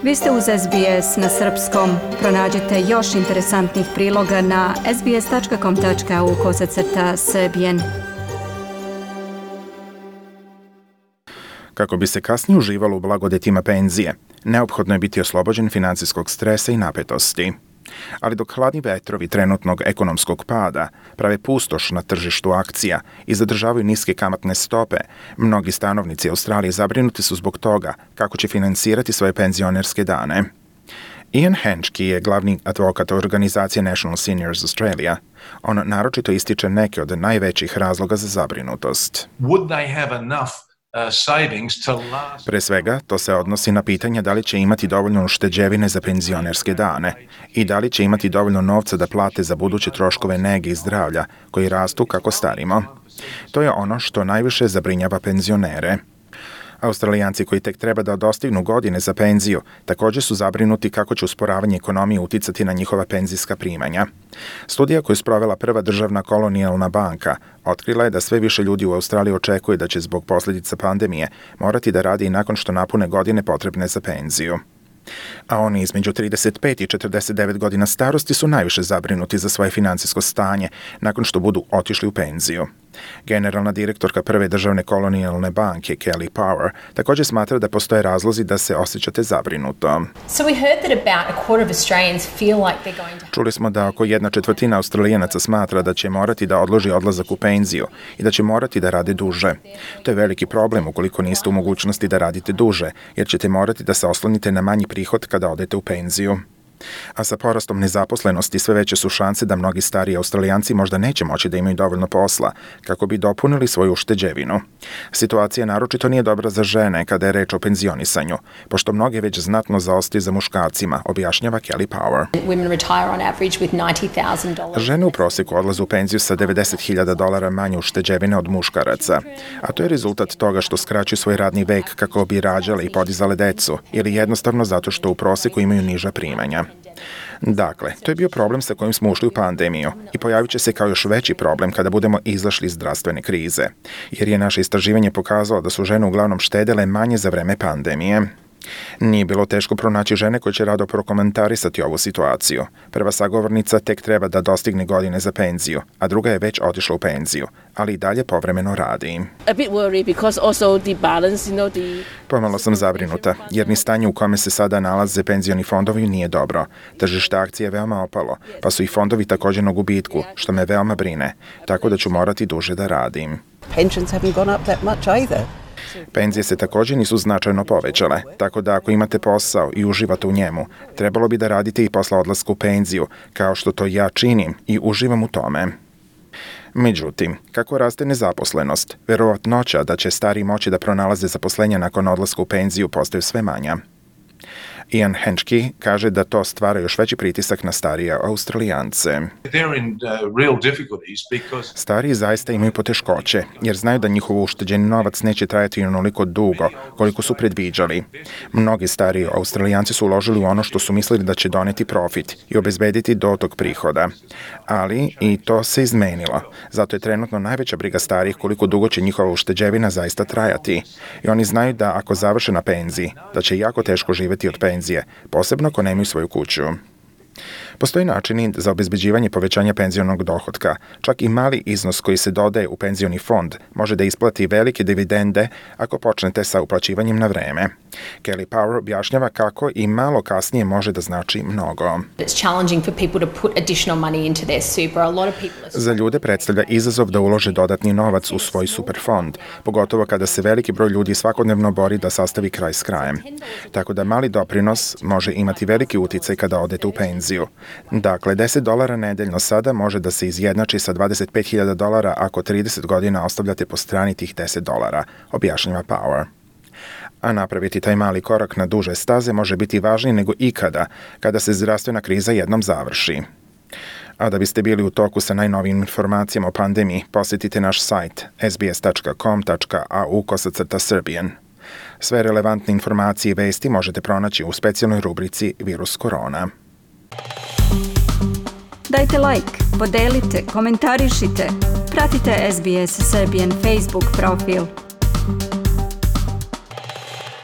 Vi ste uz SBS na srpskom. Pronađite još interesantnih priloga na sbs.com.au/serbian. Kako bi se kasnije uživalo u blagodetima penzije, neophodno je biti oslobođen financijskog stresa i napetosti. Ali dok hladni vetrovi trenutnog ekonomskog pada prave pustoš na tržištu akcija i zadržavaju niske kamatne stope, mnogi stanovnici Australije zabrinuti su zbog toga kako će finansirati svoje penzionerske dane. Ian Henschke je glavni advokat organizacije National Seniors Australia. On naročito ističe neke od najvećih razloga za zabrinutost. Pre svega, to se odnosi na pitanje da li će imati dovoljno ušteđevine za penzionerske dane i da li će imati dovoljno novca da plate za buduće troškove nege i zdravlja koji rastu kako starimo. To je ono što najviše zabrinjava penzionere. Australijanci koji tek treba da dostignu godine za penziju također su zabrinuti kako će usporavanje ekonomije uticati na njihova penzijska primanja. Studija koju je sprovela prva državna kolonijalna banka otkrila je da sve više ljudi u Australiji očekuje da će zbog posljedica pandemije morati da radi i nakon što napune godine potrebne za penziju. A oni između 35 i 49 godina starosti su najviše zabrinuti za svoje financijsko stanje nakon što budu otišli u penziju. Generalna direktorka prve državne kolonijalne banke, Kelly Power, također smatra da postoje razlozi da se osjećate zabrinuto. Čuli smo da oko 1/4 Australijanaca smatra da će morati da odloži odlazak u penziju i da će morati da rade duže. To je veliki problem ukoliko niste u mogućnosti da radite duže, jer ćete morati da se oslonite na manji prihod kada odete u penziju. A sa porastom nezaposlenosti sve veće su šanse da mnogi stariji Australijanci možda neće moći da imaju dovoljno posla kako bi dopunili svoju ušteđevinu. Situacija naročito nije dobra za žene kada je reč o penzionisanju, pošto mnoge već znatno zaostaju za muškarcima, objašnjava Kelly Power. Žene u prosjeku odlaze u penziju sa $90,000 manje ušteđevine od muškaraca, a to je rezultat toga što skraćuju svoj radni vek kako bi rađale i podizale decu, ili jednostavno zato što u prosjeku imaju niža primanja. Dakle, to je bio problem sa kojim smo ušli u pandemiju i pojavit će se kao još veći problem kada budemo izašli iz zdravstvene krize, jer je naše istraživanje pokazalo da su žene uglavnom štedele manje za vreme pandemije. Nije bilo teško pronaći žene koje će rado prokomentarisati ovu situaciju. Prva sagovornica tek treba da dostigne godine za penziju, a druga je već otišla u penziju, ali i dalje povremeno radi. Pomalo sam zabrinuta, jer ni stanje u kome se sada nalaze penzioni fondovi nije dobro. Tržište akcije je veoma opalo, pa su i fondovi također na gubitku, što me veoma brine, tako da ću morati duže da radim. Penzije se također nisu značajno povećale, tako da ako imate posao i uživate u njemu, trebalo bi da radite i posle odlaska u penziju, kao što to ja činim i uživam u tome. Međutim, kako raste nezaposlenost, verovatnoća da će stariji moći da pronalaze zaposlenja nakon odlaska u penziju postaju sve manja. Ian Henschke kaže da to stvara još veći pritisak na starije Australijance. Stariji zaista imaju poteškoće, jer znaju da njihov ušteđeni novac neće trajati onoliko dugo koliko su predviđali. Mnogi stariji Australijanci su uložili u ono što su mislili da će doneti profit i obezbediti dotok prihoda. Ali i to se izmenilo. Zato je trenutno najveća briga starijih koliko dugo će njihova ušteđevina zaista trajati. I oni znaju da ako završe na penziji, da će jako teško živjeti od penzije, posebno ako nemaju svoju kuću. Postoji načini za obezbeđivanje povećanja penzionog dohotka. Čak i mali iznos koji se dodaje u penzioni fond može da isplati velike dividende ako počnete sa uplaćivanjem na vreme. Kelly Power objašnjava kako i malo kasnije može da znači mnogo. Za ljude predstavlja izazov da ulože dodatni novac u svoj superfond, pogotovo kada se veliki broj ljudi svakodnevno bori da sastavi kraj s krajem. Tako da mali doprinos može imati veliki uticaj kada odete u penziju. Dakle, $10 nedeljno sada može da se izjednači sa $25,000 ako 30 godina ostavljate po strani tih $10, objašnjava Power. A napraviti taj mali korak na duže staze može biti važniji nego ikada kada se zdravstvena kriza jednom završi. A da biste bili u toku sa najnovijim informacijama o pandemiji, posjetite naš sajt sbs.com.au/serbian. Sve relevantne informacije i vesti možete pronaći u specijalnoj rubrici Virus korona. Dajte like, podelite, komentarišite, pratite SBS Serbian Facebook profil.